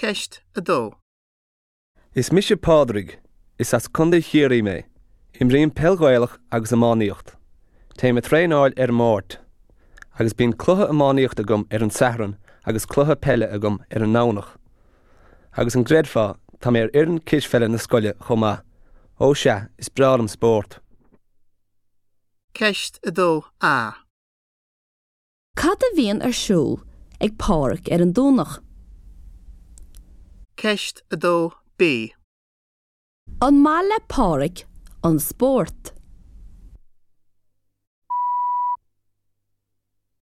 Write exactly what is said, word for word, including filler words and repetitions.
Ceist a dó. Is mise Pádraig, is as Contae Chiarraí mé, Imrím peil Ghaelach agus iománaíocht. Téim ag traenáil ar an Máirt, agus bíonn cluiche iománaíocht agam ar an Satharn agus cluiche peile agam ar an nDomhnach. Agus an gcreidfeá tá mé ar fhoireann cispheile na scoile chomh maith, ó sea is breá liom spórt. Ceist a dó A. Cad a bhíonn ar siúl ag Pádraig ar an Domhnach? Ceist a dó B. An maith le Pádraig an spórt.